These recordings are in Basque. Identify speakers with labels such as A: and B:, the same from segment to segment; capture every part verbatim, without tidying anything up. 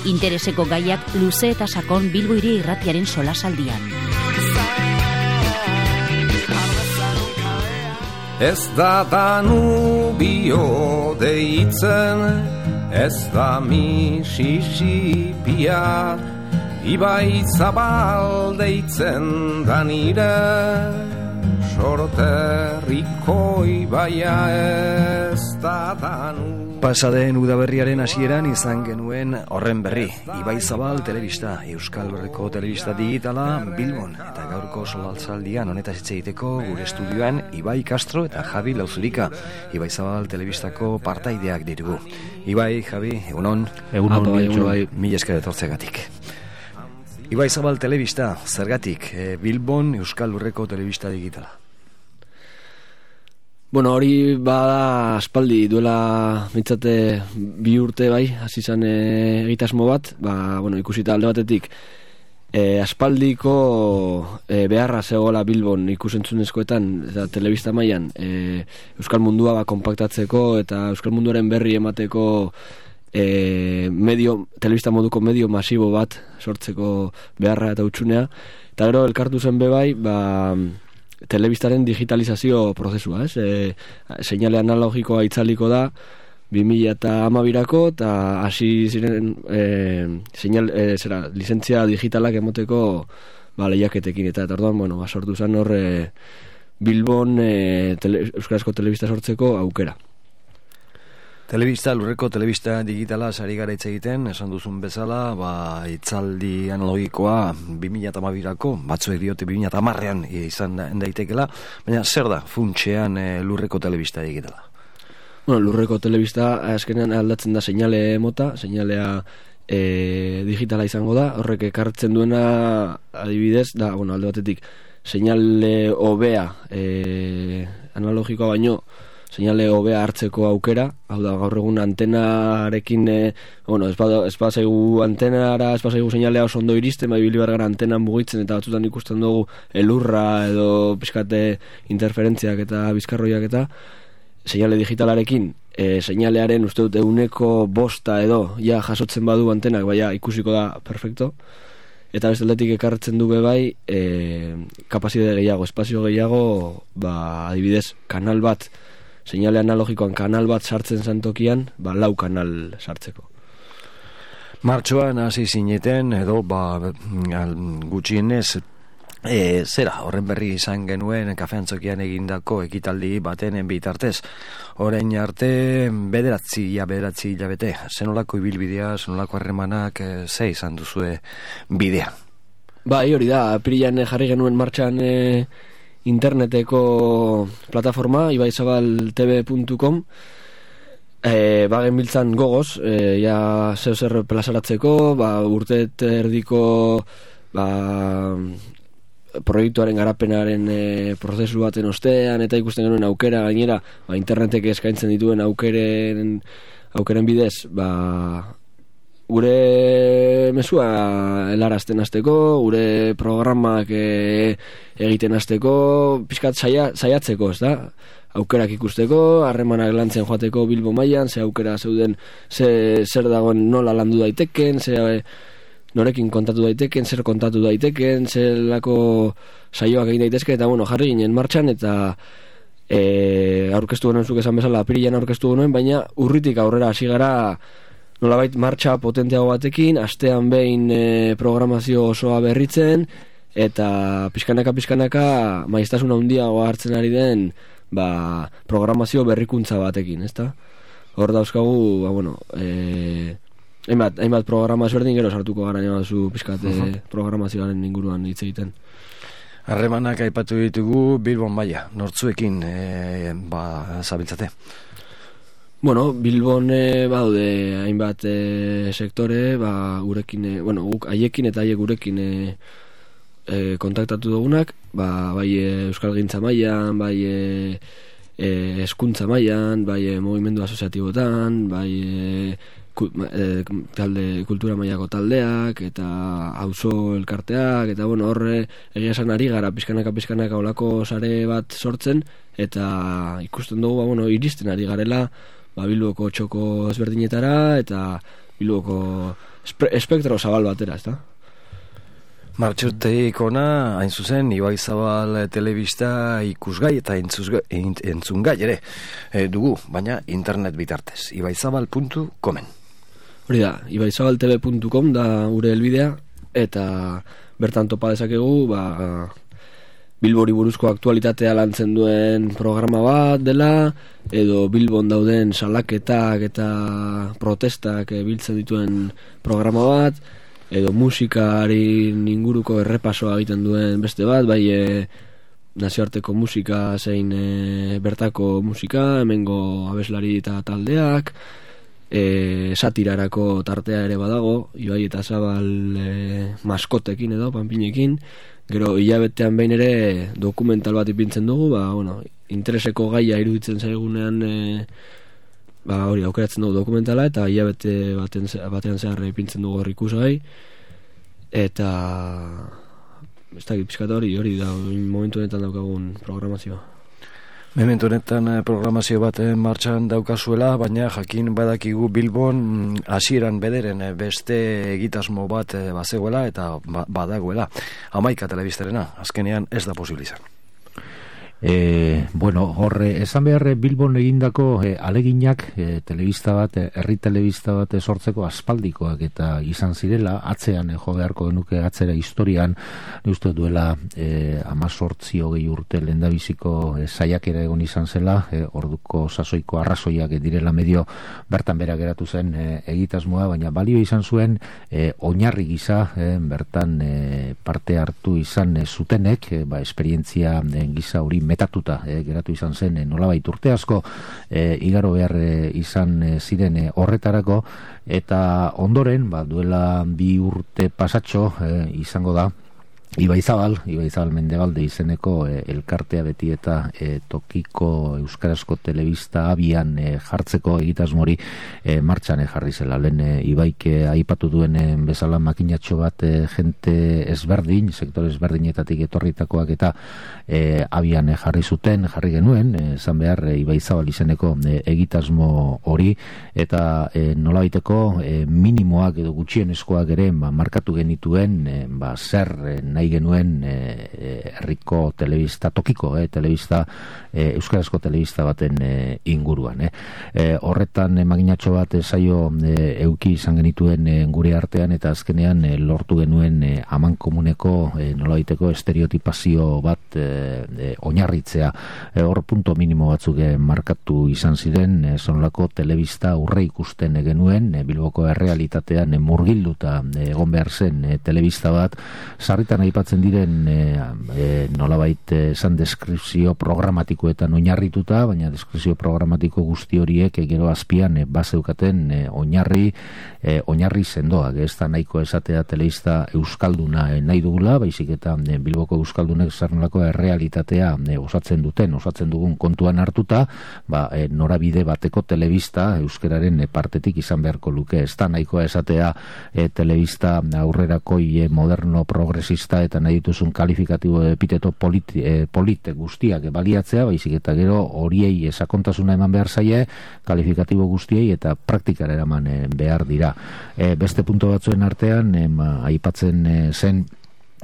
A: Intereseko gaiak luze eta sakon Bilbo Hiri Irratiaren solasaldian.
B: Ez da Danubio deitzen, ez da Mississipia, ibai zabal deitzen da nire, sorterriko ibaia ez da Danubio.
C: Pasaden udaberriaren hasieran izan genuen horren berri. Ibai Zabal telebista, Euskal Herriko telebista digitala Bilbon, eta gaurko solasaldian honetaz hitz egiteko gure estudioan Ibai Castro eta Javi Lauzurika, Ibai Zabal telebistako partaideak ditugu. Ibai, Javi, egunon.
D: Egunon, Ibai,
C: mila esker etortzegatik. Ibai Zabal telebista, zergatik, e, Bilbon Euskal Herriko telebista digitala?
D: Bueno, hori bada aspaldi duela mitzate bi urte bai, hasi izan e, egitasmo bat, ba, bueno, ikusita alde batetik e, aspaldiko e, beharra zegoela Bilbon ikusentzunezkoetan eta telebista mailan e, Euskal Mundua ba, konpaktatzeko eta Euskal Munduaren berri emateko e, medio, telebista moduko medio masibo bat sortzeko beharra eta utxunea, eta gero elkartu zen bebai, ba telebistaren digitalizazio prozesua, ez? E, seinale analogikoa itzaliko da bi mila hamabirako eta hasi ziren e, seinal, e, zera, lizentzia digitalak emoteko ba, lehiaketekin eta eta orduan, bueno, ba, sortu zen hor e, Bilbon e, tele, euskarazko telebista sortzeko aukera.
C: Telebista, lurreko telebista digitala sari gara hitz egiten, esan duzun bezala, ba, itzaldi analogikoa bi mila hamabirako, batzuek diote bi mila hamarrean izan daitekela, baina zer da funtsean e, lurreko telebista digitala?
D: Bueno, lurreko telebista azkenean aldatzen da seinale mota, seinalea e, digitala izango da, horrek ekartzen duena adibidez, da, bueno, alde batetik, seinale hobea e, analogikoa baino, seinale hobea hartzeko aukera, hau da, gaur egun antenarekin, e, bueno, ez bazaigu antenara, ez bazaigu seinalea oso ondo iristen, bai bili bargara antenan mugitzen, eta batzutan ikusten dugu elurra edo pixkate interferentziak eta bizkarroiak eta seinale digitalarekin, e, seinalearen uste dut euneko bosta edo, ja jasotzen badu antenak, baina ikusiko da perfecto, eta beste aldetik ekartzen du bebai, e, kapazitate gehiago, espazio gehiago, ba, adibidez, kanal bat, seinale analogikoan kanal bat sartzen zantokian, ba, lau kanal sartzeko.
C: Martxoan hasi zineten, edo ba, gutxienez, e, zera, horren berri izan genuen kafeantzokian egindako ekitaldi baten bitartez. Orain arte, bederatzi, ja, bederatzi hilabete, zenolako ibilbidea, zenolako harremanak, e, ze izan duzue bidea?
D: Ba, hori da, apirilan jarri genuen martxan e, interneteko plataforma ibaizabaltv puntu com, e, bagen biltzan gogoz, e, ja zeu zer plazaratzeko, ba, urtet erdiko ba, proiektuaren garapenaren e, prozesu baten ostean, eta ikusten genuen aukera gainera, ba, internetek eskaintzen dituen aukeren, aukeren bidez, ba, gure mesua helarazten hasteko, gure programak e, egiten hasteko, pixkat saia, saiatzeko, ez da? Aukerak ikusteko, harremanak lantzen joateko Bilbo mailan, ze aukera zeuden, ze, zer dagoen nola landu daiteken, ze norekin kontatu daiteken, zer kontatu daiteken, zelako saioak egin daitezke, eta bueno, jarri ginen martxan, eta e, aurkeztu genuen zuk esan bezala, apirilan aurkeztu genuen, baina urritik aurrera hasi gara nolabait martxa potenteago batekin, astean behin e, programazio osoa berritzen, eta pixkanaka-pixkanaka maiztasuna handiago hartzen ari den ba, programazio berrikuntza batekin, ezta? Hor dauzkagu, ba, bueno, e, hainbat, hainbat programazio erdin gero sartuko gara nima duzu pixkat uh-huh. programazioaren inguruan hitz egiten.
C: Harremanak aipatu ditugu Bilbon maila, nortzuekin e, ba, zabiltzate?
D: Bueno, Bilbon e, baude hainbat e, sektore, ba, gurekin, e, bueno, guk haiekin eta haiek gurekin e, e, kontaktatu dugunak, ba, bai e, euskalgintza mailan, bai e, e, hezkuntza mailan, bai e, mugimendu asoziatibotan, bai e, ku, e, talde, kultura mailako taldeak, eta auzo elkarteak, eta bueno, horre egia esan ari gara pizkanaka pizkanaka olako sare bat sortzen, eta ikusten dugu, ba, bueno, iristen ari garela, ba, Bilboko txoko ezberdinetara eta Bilboko espe, espektro zabal batera, ez da?
C: Martxoteik ona, hain zuzen, Ibaizabal telebista ikusgai eta entzungai ere e, dugu, baina internet bitartez, ibaizabal puntu comen.
D: Hori da, ibaizabal t v puntu com da gure helbidea, eta bertan topa dezakegu, ba, Bilbori buruzko aktualitatea lantzen duen programa bat dela, edo Bilbon dauden salaketak eta protestak biltzen dituen programa bat, edo musikaren inguruko errepasoa egiten duen beste bat, bai e, nazioarteko musika zein e, bertako musika, hemengo abeslari eta taldeak, e, satirarako tartea ere badago, Ibai eta Zabal e, maskotekin edo, panpinekin, gero hilabetean behin ere dokumental bat ipintzen dugu, ba, bueno, intereseko gaia iruditzen zaigunean e, ba, hori aukeratzen dugu dokumentala eta hilabete baten, batean zehar ipintzen dugu hor ikusgai eta ez dakit pixkat hori hori da momentu honetan daukagun programazioa.
C: Momentu honetan programazio bat martxan daukazuela, baina jakin badakigu Bilbon hasieran bederen beste egitasmo bat bazegoela eta badagoela. Hamaika telebistarena, azkenean ez da posible izan.
E: E, bueno, horre, esan behar Bilbon egindako e, aleginak e, telebista bat, herri telebista bat sortzeko aspaldikoak eta izan zirela, atzean e, jo beharko genuke atzera historian, uste duela e, amazortzi hogei urte lehendabiziko e, saiakera egon izan zela, e, orduko sasoiko arrazoiak direla medio bertan bera geratu zen e, egitasmoa, baina balio izan zuen e, oinarri gisa e, bertan e, parte hartu izan e, zutenek, e, ba, esperientzia e, gisa hori metatuta eh, geratu izan zen eh, nolabait urte asko eh, igaro behar eh, izan eh, ziren eh, horretarako eta ondoren ba, duela bi urte pasatxo eh, izango da Ibaizabal, Ibaizabal Mendebalde izeneko e, elkartea beti eta e, tokiko euskarazko telebista abian e, jartzeko egitasmori e, martxan e, jarri zela. Lehen e, Ibaik aipatu duen e, bezala makinatxo bat e, jente ezberdin, sektore ezberdinetatik etorritakoak eta e, abian e, jarri zuten, jarri genuen, esan e, behar e, Ibaizabal izeneko e, egitasmo hori eta e, nolabaiteko e, minimoak edo gutxienezkoak ere ba, markatu genituen e, ba, zer e, nahi genuen herriko e, telebista, tokiko e, telebista, e, euskarazko telebista baten e, inguruan. E. E, horretan e, maginatxo bat e, saio e, euki izan genituen e, gure artean eta azkenean e, lortu genuen e, aman komuneko e, nolabaiteko estereotipazio bat e, e, oinarritzea. E, hor punto minimo batzuk e, markatu izan ziren, e, zonolako telebista urre ikusten e, genuen, e, Bilboko errealitatean e, murgilduta e, egon behar zen e, telebista bat, sarritan aipatzen diren e, e, nolabait esan deskripzio programatikoetan oinarrituta, baina deskripzio programatiko guzti horiek e, gero azpian e, bazeukaten e, oinarri e, oinarri sendoak, ez da nahiko esatea telebista euskalduna e, nahi dugula, baizik eta e, Bilboko euskaldunek zernolako errealitatea e, osatzen duten, osatzen dugun kontuan hartuta, ba, e, norabide bateko telebista euskararen e, partetik izan beharko luke, ez da nahiko esatea e, telebista aurrerakoi e, moderno progresista eta nahi dituzun kalifikatibo epiteto polit, e, polit guztiak baliatzea, baizik eta gero horiei sakontasuna eman behar zaie, kalifikatibo guztiei eta praktikara eraman e, behar dira. E, beste punto batzuen artean, e, ma, aipatzen e, zen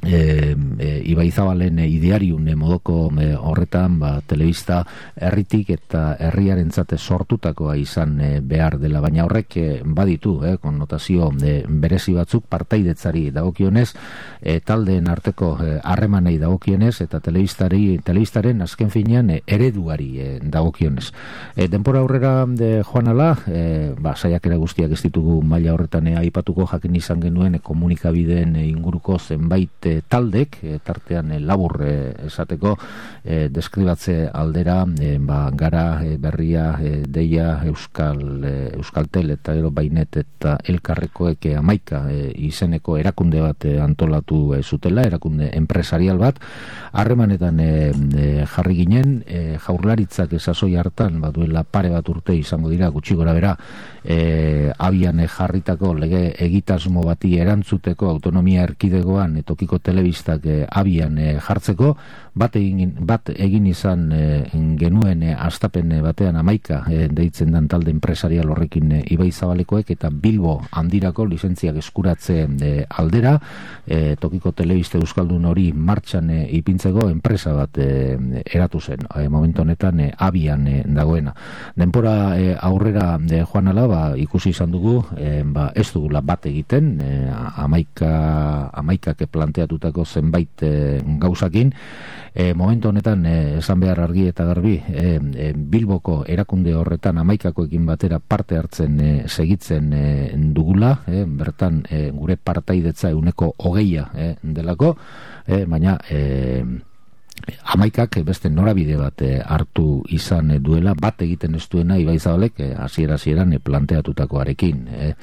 E: E, e, Ibaizabalen e, ideariun e, modoko e, horretan ba, telebista herritik eta herriarentzat sortutakoa izan e, behar dela, baina horrek e, baditu e, konnotazio e, berezi batzuk partaidetzari dagokionez e, taldeen arteko harremanei e, dagokionez eta telebistari, telebistaren azken finean e, ereduari e, dagokionez. E, denpora aurrera de joan ala, e, ba, saiakera guztiak ez ditugu maila horretan e, aipatuko, jakin izan genuen e, komunikabideen e, inguruko zenbait taldek, e, tartean e, labur e, esateko e, deskribatze aldera e, ba, gara e, berria e, deia Euskal e, Euskaltel eta gero Bainet eta Elkarrekoek e, amaika e, izeneko erakunde bat e, antolatu e, zutela, erakunde enpresarial bat, harremanetan e, e, jarri ginen, e, Jaurlaritzak esasoi hartan ba, duela pare bat urte izango dira gutxi gora bera e, abian e, jarritako lege egitasmo bati erantzuteko autonomia erkidegoan e, tokiko telebistak e, abian e, jartzeko, bat egin, bat egin izan e, genuen e, astapen batean amaika e, deitzen dan talde enpresarial horrekin e, Ibai Zabalekoek, eta Bilbo handirako lizentziak eskuratze e, aldera e, tokiko telebiste euskaldun hori martxan e, ipintzeko enpresa bat e, eratu zen, e, momentu honetan e, abian e, dagoena. Denpora e, aurrera e, joan ala, ba, ikusi izan dugu e, ba, ez dugula bat egiten e, amaika, amaikak planteatutako zenbait e, gauzakin. E, momentu honetan e, esan behar argi eta garbi e, e, Bilboko erakunde horretan amaikakoekin batera parte hartzen e, segitzen e, dugula, e, bertan e, gure partaidetza euneko hogeia e, delako, e, baina e, amaikak beste norabide bat e, hartu izan duela, bat egiten ez duena Ibai Zabalek e, hasiera hasieran e, planteatutakoarekin, e,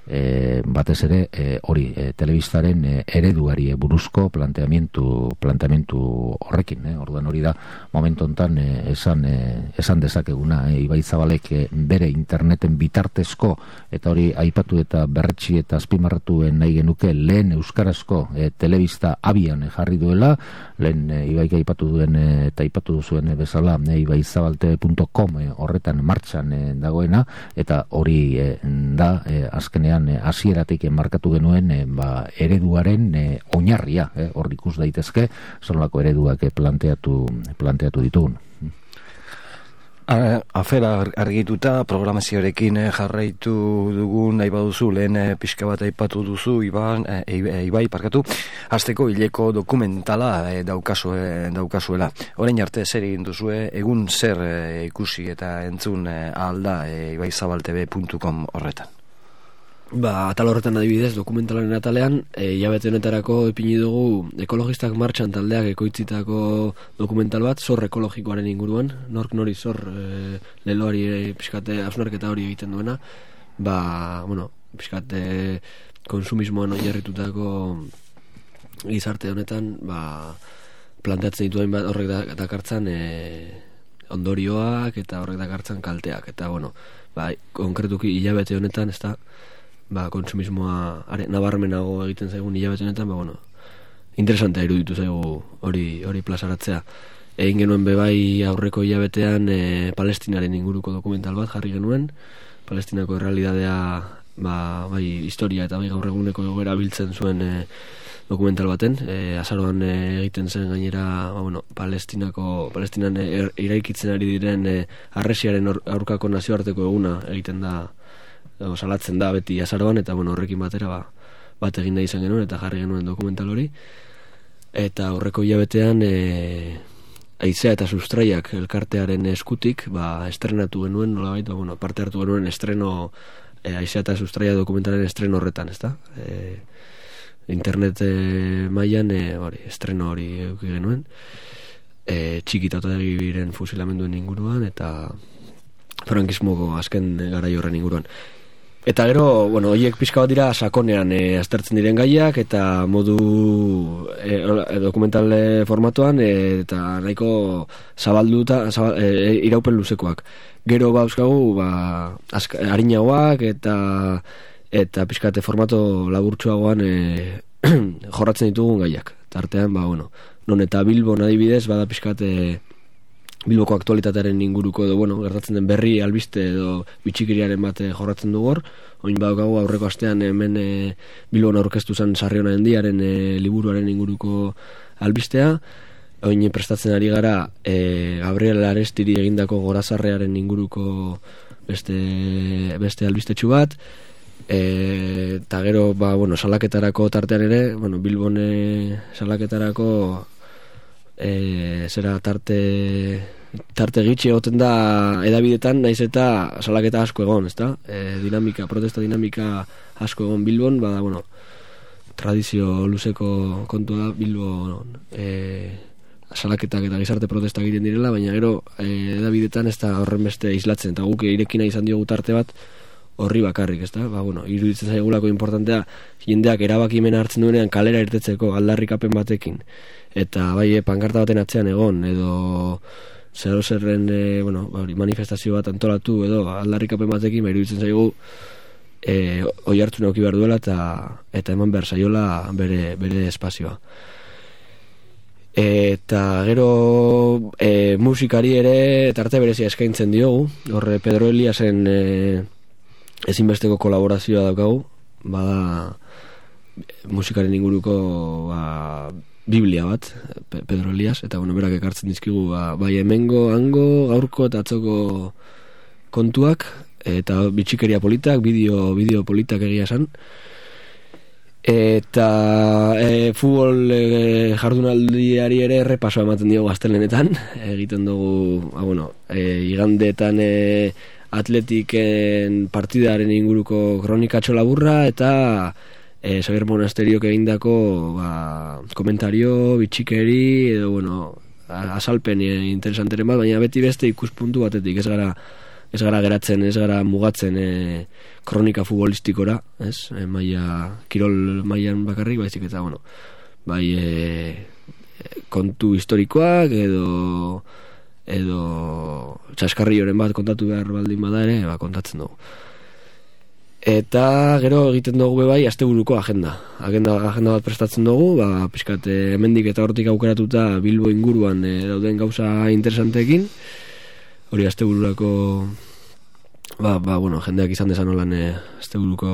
E: E, batez ere e, hori e, telebistaren e, ereduari e, buruzko planteamentu planteamentu horrekin, e, orduan hori da momentu hontan e, esan e, esan dezakeguna, e, Ibai Zabalek e, bere interneten bitartezko, eta hori aipatu eta berretsi eta azpimarratu nahi genuke, lehen euskarazko e, telebista abian e, jarri duela, lehen e, Ibaik aipatu duen e, eta aipatu duzuen e, bezala e, ibaizabalte punto com e, horretan martxan e, dagoena, eta hori e, da e, azkenean hasieratik markatu genuen e, ba, ereduaren e, oinarria, e, hor ikus daitezke zonolako ereduak e, planteatu planteatu ditugun.
C: Afera argituta programazioarekin jarraitu dugu, nahi baduzu lehen pixka bat aipatu duzu Iban, e, Ibai parkatu, hasteko hileko dokumentala e, daukazu, e, daukazuela. Orain arte zer egin duzue, egun zer e, ikusi eta entzun e, alda e, ibaizabaltebe puntu com horretan.
D: Ba, atal horretan adibidez, dokumentalaren atalean, e, hilabete honetarako ipini dugu ekologistak martxan taldeak ekoitzitako dokumental bat, zor ekologikoaren inguruan, nork nori zor e, leloari e, pixkate hausnarketa hori egiten duena, ba, bueno, pixkate konsumismoan oinarritutako gizarte honetan, ba, planteatzen dituen bat horrek da, dakartzan e, ondorioak eta horrek dakartzan kalteak, eta, bueno, ba, konkretuki hilabete honetan, ez da, ba, konsumismoa are, nabarmenago egiten zaigun hilabete honetan, ba, bueno, interesantea iruditu zaigu hori hori plazaratzea. Egin genuen bebai aurreko hilabetean e, Palestinaren inguruko dokumental bat jarri genuen, Palestinako errealidadea, ba, bai historia eta bai gaur eguneko egoera biltzen zuen e, dokumental baten, e, azaroan e, egiten zen gainera, ba, bueno, Palestinako, Palestinan er, iraikitzen ari diren e, harresiaren aurkako nazioarteko eguna egiten da, o, salatzen da beti azaroan, eta bueno, horrekin batera ba, bat egin da izan genuen eta jarri genuen dokumental hori, eta horreko hilabetean e, Aizea eta Sustraiak elkartearen eskutik ba, estrenatu genuen, nolabait, ba, bueno, parte hartu genuen estreno e, Aizea eta Sustraia dokumentalen estreno horretan, ezta? E, internet e, mailan e, hori, estreno hori eduki genuen, e, txikita otadegiren fusilamenduen inguruan eta frankismoko azken garai horren inguruan. Eta gero, bueno, horiek pixka bat dira sakonean e, aztertzen diren gaiak eta modu e, dokumental formatuan e, eta nahiko zabalduta zabal, e, iraupen luzekoak. Gero ba euskagu ba, azka, harinagoak eta eta pixkate formato laburtsuagoan e, jorratzen ditugun gaiak. Tartean, ba, bueno, non eta Bilbon adibidez bada pixkate Bilboko aktualitatearen inguruko edo, bueno, gertatzen den berri albiste edo bitxikiriaren bat jorratzen dugu hor. Oin badaukagu aurreko astean hemen e, Bilbon aurkeztu zen Sarriona Hendiaren e, liburuaren inguruko albistea. Oin prestatzen ari gara e, Gabriel Arestiri egindako Gorazarrearen inguruko beste, beste albistetxu bat. Eta e, gero, ba, bueno, salaketarako tartean ere, bueno, Bilbon e, salaketarako E, zera tarte tarte gitxi egoten da edabidetan, naiz eta salaketa asko egon, ezta? E, dinamika, protesta dinamika asko egon Bilbon, bada, bueno, tradizio luzeko kontua da Bilbon e, salaketak eta gizarte protesta egiten direla, baina gero e, edabidetan ez da horren beste islatzen, eta guk irekina izan diogu tarte bat horri bakarrik, ezta? Ba, bueno, iruditzen zaigulako importantea jendeak erabakimena hartzen duenean kalera irtetzeko aldarrikapen batekin, eta bai pankarta baten atzean egon edo zero zerren e, bueno, manifestazio bat antolatu edo aldarrikapen batekin, ba, iruditzen zaigu e, oi hartu nauki behar duela eta, eta eman behar zaiola bere, bere espazioa. Eta gero e, musikari ere tarte berezia eskaintzen diogu. Horre Pedro Eliasen e, ezinbesteko kolaborazioa daukagu. Bada musikaren inguruko ba, Biblia bat, Pedro Elias, eta bueno, berak ekartzen dizkigu ba, bai hemengo, hango, gaurko eta atzoko kontuak, eta bitxikeria politak, bideo, bideo politak egia esan. Eta e, futbol e, jardunaldiari ere errepasoa ematen diogu astelehenetan, egiten dugu, ba, bueno, e, igandeetan e, Atletiken partidaren inguruko kronikatxo laburra, eta e, Xabier Monasteriok egindako ba, komentario, bitxikeri, edo, bueno, azalpen e, interesanteren bat, baina beti beste ikuspuntu batetik, ez gara ez gara geratzen, ez gara mugatzen e, kronika futbolistikora, ez? E, maia, kirol mailan bakarrik, baizik eta, bueno, bai e, kontu historikoak edo edo txaskarrioren bat kontatu behar baldin bada ere, ba, kontatzen dugu. Eta gero egiten dugu bai asteburuko agenda. Agenda, agenda bat prestatzen dugu, ba, pixkat hemendik eta hortik aukeratuta Bilbo inguruan e, dauden gauza interesanteekin. Hori astebururako ba, ba, bueno, jendeak izan desan olan e, asteburuko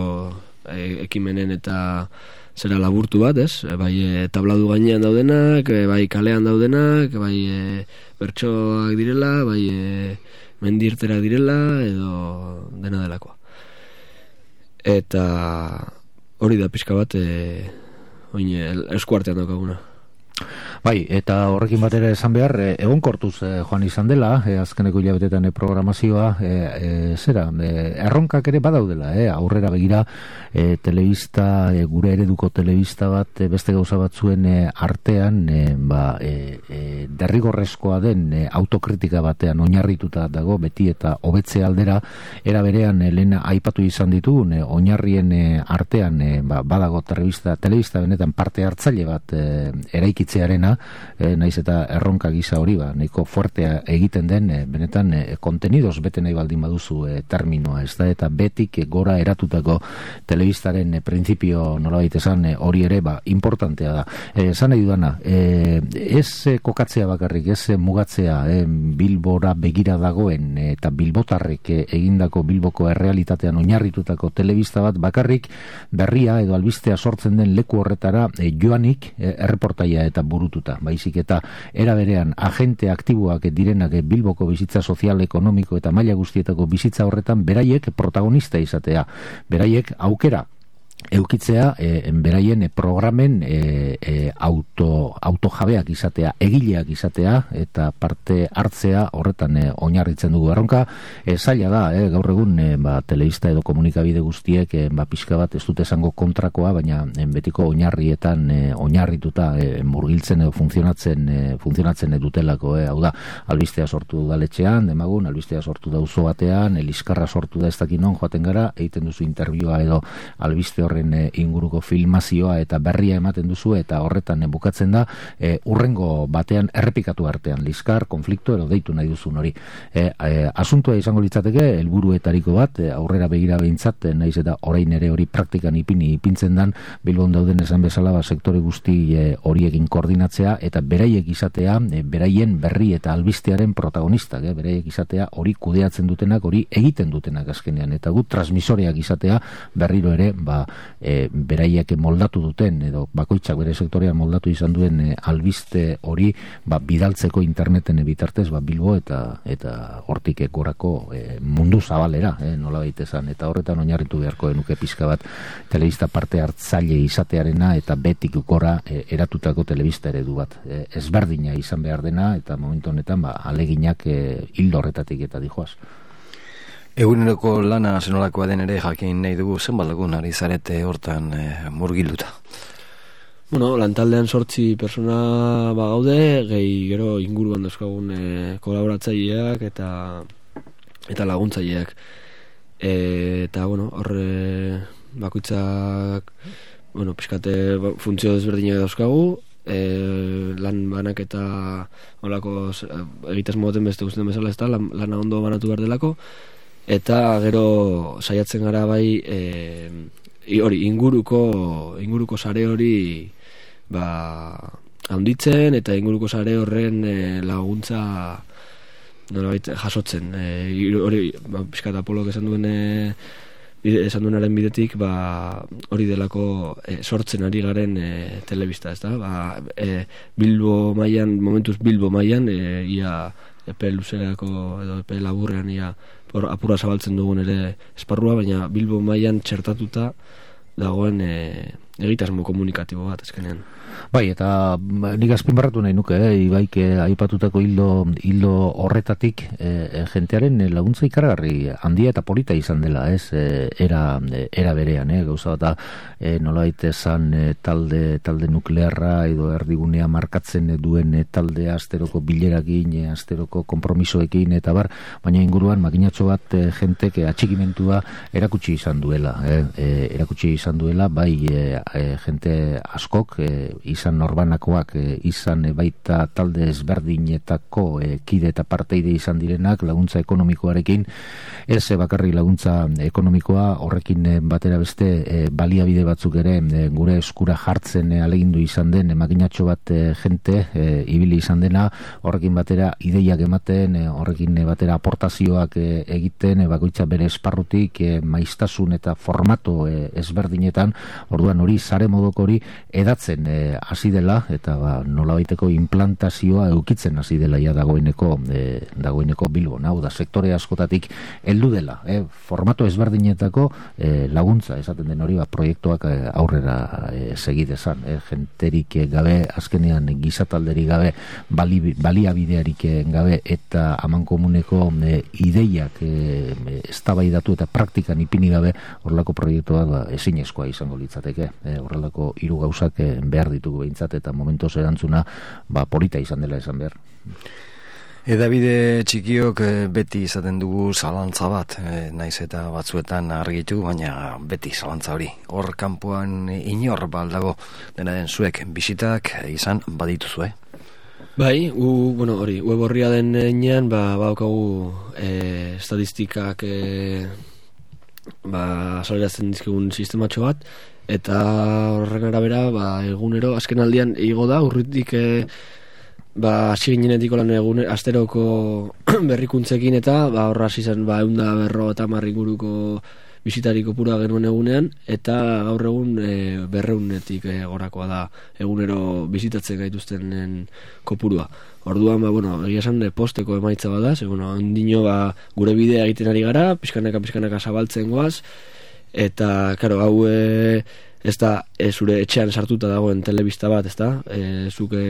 D: e, ekimenen eta zera laburtu bat, ez? E, bai e, tabladu gainean daudenak, e, bai kalean daudenak, bai e, bertsoak direla, bai e, mendirterak direla, edo dena delakoa. Eta hori da pixka bat e, oin, eskuartean daukaguna.
E: Bai, eta horrekin batera esan behar, e, egonkortuz e, joan izan dela, e, azkeneko hilabetetan e, programazioa, e, e, zera, e, erronkak ere badaudela, e, aurrera begira, e, telebista, e, gure ereduko telebista bat, e, beste gauza batzuen e, artean, e, ba, e, e, derrigorrezkoa den e, autokritika batean oinarrituta dago, beti eta hobetze aldera, era berean e, lehen aipatu izan ditugun, e, oinarrien e, artean, e, ba, badago telebista, telebista benetan parte hartzaile bat e, eraikitzearena, E, naiz eta erronka gisa hori ba, nahiko fuertea egiten den e, benetan e, kontenidoz bete nahi baldin baduzu e, terminoa, ez da, eta betik e, gora eratutako telebistaren e, printzipio nolabait esan e, hori ere ba, importantea da. E, esan nahi dudana, e, ez e, kokatzea bakarrik, ez e, mugatzea e, Bilbora begira dagoen e, eta bilbotarrek e, egindako Bilboko errealitatean oinarritutako telebista bat bakarrik berria edo albistea sortzen den leku horretara e, joanik e, erreportaia eta burututa, baizik eta era berean agente aktiboak direnak Bilboko bizitza sozial, ekonomiko eta maila guztietako bizitza horretan beraiek protagonista izatea, beraiek aukera eukitzea, e, beraien programen e, e, auto, autojabeak izatea, egileak izatea eta parte hartzea horretan e, oinarritzen dugu. Erronka e, zaila da, e, gaur egun e, ba, telebista edo komunikabide guztiek e, ba, pixka bat ez dute esango kontrakoa, baina e, betiko oinarrietan e, oinarrituta e, murgiltzen edo funtzionatzen e, funtzionatzen dutelako, e, hau da, albistea sortu daletxean, demagun, albistea sortu da auzo batean, eliskarra sortu da ez dakin non joaten gara, egiten duzu intervioa edo albiste horren inguruko filmazioa eta berria ematen duzu eta horretan bukatzen da e, urrengo batean errepikatu artean liskar, konflikto edo deitu nahi duzun hori. E, e, asuntua izango litzateke helburuetariko bat, e, aurrera begira behintzat, e, naiz eta orain ere hori praktikan ipini ipintzen dan, Bilbon dauden esan bezala ba, sektore guzti e, horiekin koordinatzea eta beraiek izatea, e, beraien berri eta albistearen protagonistak, e, beraiek izatea hori kudeatzen dutenak, hori egiten dutenak azkenean, eta gut transmisoreak izatea berriro ere, ba, e, beraiek moldatu duten edo bakoitzak bere sektorean moldatu izan duen e, albiste hori ba, bidaltzeko interneten bitartez ba, Bilbo eta eta hortik gorako e, mundu zabalera, e, nola baitezan, eta horretan oinarritu beharko genuke pizka bat telebista parte hartzaile izatearena eta betik gora e, eratutako telebista eredu bat. E, ezberdina izan behar dena eta momentu honetan ba, aleginak e, hildo horretatik eta dijoaz.
C: Eguneroko lana zenolakoa den ere jakin nahi dugu, zenbat lagun ari zarete hortan e, murgilduta?
D: Bueno, lantaldean sortzi persona ba gaude, gehi gero inguruan dauzkagun e, kolaboratzaileak eta eta laguntzaileak. E, eta bueno, horre bakoitzak bueno, pixkate funtzio desberdinak dauzkagu, e, lan banak eta holako egitez moten beste guztien bezala ez da, lan, lana ondo banatu behar delako. Eta gero saiatzen gara bai e, hori inguruko inguruko sare hori ba, handitzen eta inguruko sare horren e, laguntza nolabait jasotzen. E, hori, ba, pixkat Apolok esan duen e, esan duenaren bidetik, ba, hori delako e, sortzen ari garen e, telebista, ez da? Ba, e, Bilbo mailan, momentuz Bilbo mailan, e, ia epe luzerako edo epe laburrean ia por, apura zabaltzen dugun ere esparrua, baina Bilbo mailan txertatuta dagoen e, egitasmo komunikatibo bat ezkenean.
E: Bai, eta nik azpimarratu nahi nuke, eh, Ibaik eh, aipatutako hildo, hildo horretatik eh, jentearen laguntza ikaragarri handia eta polita izan dela, ez, eh, era, era berean, eh, gauza bat, eh, nolait esan eh, talde, talde nuklearra edo erdigunea markatzen duen eh, taldea asteroko bilerakin, eh, asteroko kompromisoekin eta bar, baina inguruan makinatxo bat eh, jentek eh, atxikimentua erakutsi izan duela, eh, eh, erakutsi izan duela, bai eh, eh, jente askok, eh, izan norbanakoak, e, izan e, baita talde ezberdinetako e, kide eta parteide izan direnak laguntza ekonomikoarekin, ez e, bakarri laguntza ekonomikoa horrekin e, batera beste e, baliabide batzuk ere e, gure eskura jartzen e, alegindu izan den e, makinatxo bat e, jente e, ibili izan dena, horrekin batera ideiak ematen, e, horrekin e, batera aportazioak e, egiten, e, bakoitza bere esparrutik e, maiztasun eta formato e, ezberdinetan, orduan hori sare modok hori edatzen e, hasi dela eta ba, nolabaiteko implantazioa eukitzen hasi dela ja dagoeneko e, dagoeneko Bilbon, hau da sektore askotatik heldu dela, e, formato ezberdinetako e, laguntza esaten den hori, ba, proiektuak e, aurrera e, segidezan, e, jenterik e, gabe, azkenean gizatalderik gabe, bali, baliabidearik gabe eta amankomuneko e, ideiak e, eztabaidatu eta praktikan ipini gabe horrelako proiektuak ba, ezinezkoa izango litzateke, e, horrelako hiru gauzak e, behar ditugu behintzat eta momentoz erantzuna ba, polita izan dela esan behar.
C: Edabide txikiok beti izaten dugu zalantza bat, e, naiz eta batzuetan argitu, baina beti zalantza hori. Hor kanpoan inor baldago, dena den zuek bisitak izan badituzue.
D: Bai, gu, bueno, hori, web horria den enean, ba, baukagu e, estatistikak e, ba, salerazten dizkigun sistematxo bat, eta horren arabera ba, egunero azken aldian igo da urritik e, ba, hasi ginenetik lan egun asteroko berrikuntzekin eta ba, horra hasi zen ba, eunda berro eta marringuruko bisitariko pura genuen egunean eta gaur egun e, berreunetik e, gorakoa da egunero bizitatzen gaituztenen kopurua. Orduan, ba, bueno, egia esan posteko emaitza bada, ze, bueno, ondino ba, gure bidea egiten ari gara, pixkanaka pixkanaka zabaltzen goaz, eta, karo, hau e, ez da e, zure etxean sartuta dagoen telebista bat, ez da? E, zuke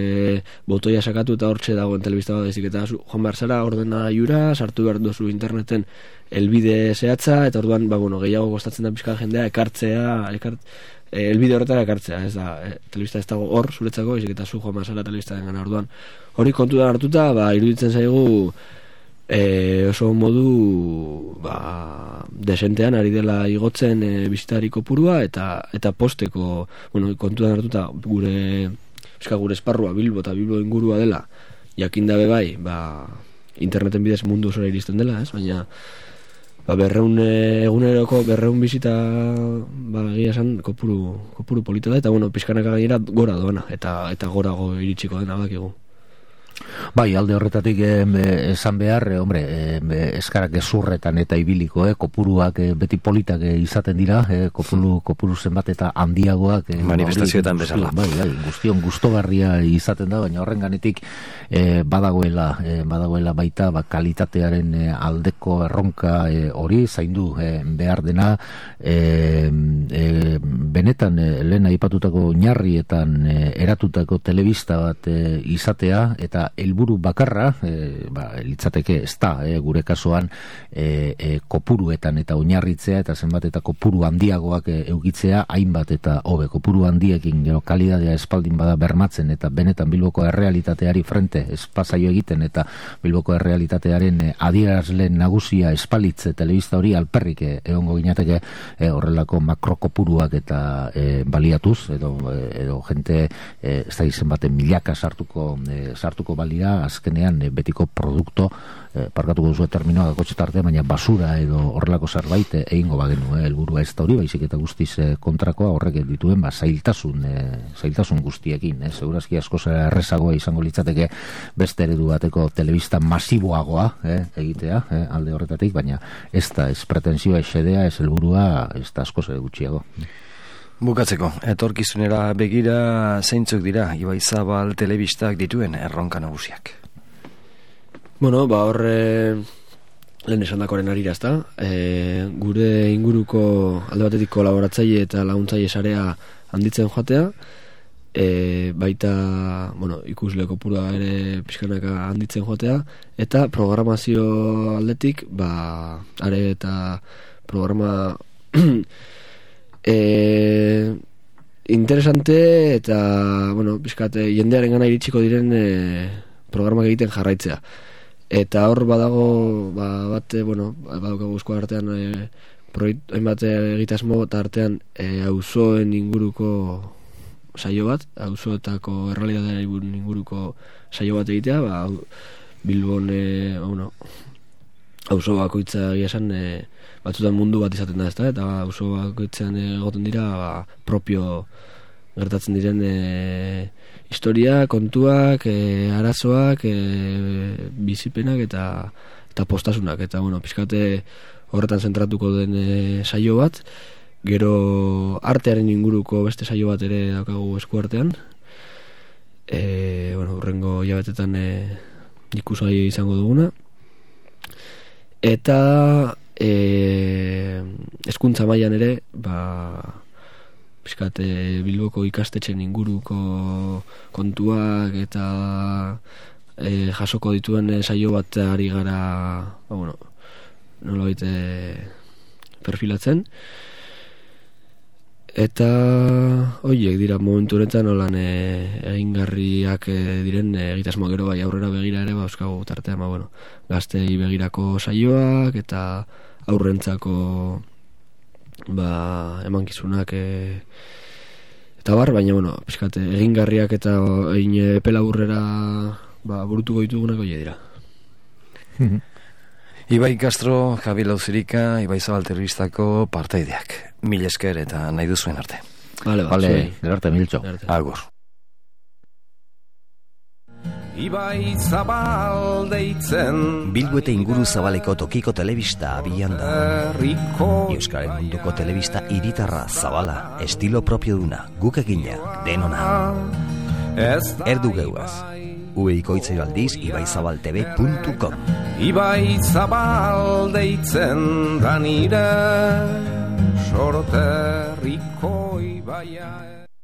D: botoia sakatu eta hortxe dagoen telebista bat, ezik eta zu, joan behar zara ordena jura, sartu behar duzu interneten elbide zehatza, eta orduan, ba, bueno, gehiago gostatzen da pixkan jendea, ekartzea, ekart, e, elbide horretara ekartzea, ez da, e, telebista ez dago hor, zuretzako, ezik eta zu joan behar zara telebista den gana, orduan. Hori kontutan hartuta, ba, iruditzen zaigu, E, oso modu ba, desentean ari dela igotzen e, bisitariko purua eta eta posteko, bueno, kontuan hartuta gure eska gure esparrua Bilbo eta Bilbo ingurua dela jakin dabe bai, ba, interneten bidez mundu osora iristen dela, ez? Baina ba, berreun eguneroko berreun bisita ba, egia esan kopuru, kopuru polita da eta bueno, pizkanaka gainera gora doana eta, eta gorago iritsiko dena bakigu.
E: Bai, alde horretatik eh, esan behar, eh, hombre, eh, eskarak ezurretan eta ibiliko, eh, kopuruak eh, beti politak eh, izaten dira, eh, kopuru, kopuru zenbat eta handiagoak eh,
C: manifestazioetan bezala.
E: Bai, bai, guztion gustogarria izaten da, baina horren ganetik eh, badagoela, eh, badagoela baita ba, kalitatearen eh, aldeko erronka eh, hori zaindu eh, behar dena, eh, eh, benetan eh, lehen aipatutako oinarrietan eh, eratutako telebista bat eh, izatea eta helburu bakarra, e, ba, litzateke ez da, e, gure kasuan e, e, kopuruetan eta oinarritzea eta zenbat eta kopuru handiagoak e, eukitzea, hainbat eta hobe kopuru handiekin gero kalidadea espaldin bada bermatzen eta benetan Bilboko errealitateari frente espazaio egiten eta Bilboko errealitatearen e, adierazle nagusia espalitze telebista hori alperrik e, egongo ginateke e, horrelako makrokopuruak eta e, baliatuz edo, e, edo jente e, ez da izen baten milaka sartuko, e, sartuko izango balira azkenean e, betiko produkto e, parkatuko duzu terminoa gakotxe tarte, baina basura edo horrelako zerbait e, egingo bagenu, e, helburua ez da hori, baizik eta guztiz e, kontrakoa horrek dituen ba, zailtasun, e, zailtasun guztiekin, e, segurazki asko errezagoa izango litzateke beste eredu bateko telebista masiboagoa e, egitea e, alde horretatik, baina ez da ez pretensioa esedea, ez helburua ez da asko ere gutxiago.
C: Bukatzeko, etorkizunera begira zeintzuk dira Ibaizabal telebistak dituen erronka nagusiak?
D: Bueno, ba horre lehen esan dakoren arira, ezta? E, gure inguruko alde batetik kolaboratzaile eta laguntzaile sarea handitzen joatea, e, baita, bueno, ikusle kopurua ere pixkanaka handitzen joatea, eta programazio aldetik, ba, are eta programa E, interesante eta bueno, pixkate jendearen gana iritsiko diren e, programak egiten jarraitzea eta hor badago ba, bate, bueno, badaukagu esku artean e, proiektu hainbat egitasmo eta artean e, auzoen inguruko saio bat, auzoetako errealitatearen inguruko saio bat egitea, ba, Bilbon e, bueno, auzo bakoitza egia esan e, batzutan mundu bat izaten da, ezta? Eta auzo bakoitzean egoten dira ba, propio gertatzen diren e, historia, kontuak, e, arazoak, e, bizipenak eta eta postasunak. Eta bueno, pixkate horretan zentratuko den e, saio bat, gero artearen inguruko beste saio bat ere daukagu esku artean. E, bueno, urrengo hilabetetan e, ikusgai izango duguna. Eta e, hezkuntza mailan ere ba, pixkate Bilboko ikastetxen inguruko kontuak eta e, jasoko dituen e, saio bat ari gara ba, bueno, nolabait e, perfilatzen eta horiek dira momentu honetan nolan e, egingarriak e, diren e, egitasmo gero bai aurrera begira ere ba, euskagu tartean ba, bueno, gaztei begirako saioak eta aurrentzako ba, emankizunak e, eta bar, baina bueno, pixkate, egingarriak eta egin epela aurrera ba, burutuko ditugunak horiek dira.
C: Ibai Castro, Javi Lauzirika, Ibaizabal telebistako partaideak. Mil esker eta nahi duzuen arte.
D: Vale,
E: vale, gero arte miltxo.
C: Agur.
B: Ibaizabal deitzen
F: Bilbo eta inguru zabaleko tokiko telebista abian da. Euskaren munduko telebista hiritarra zabala, estilo propio duna, guk egina, denona. Erdu geuaz. Ueikoitzei aldiz ibaizabaltv puntu com.
B: Ibaizabal deitzen da nire sorterriko ibaia.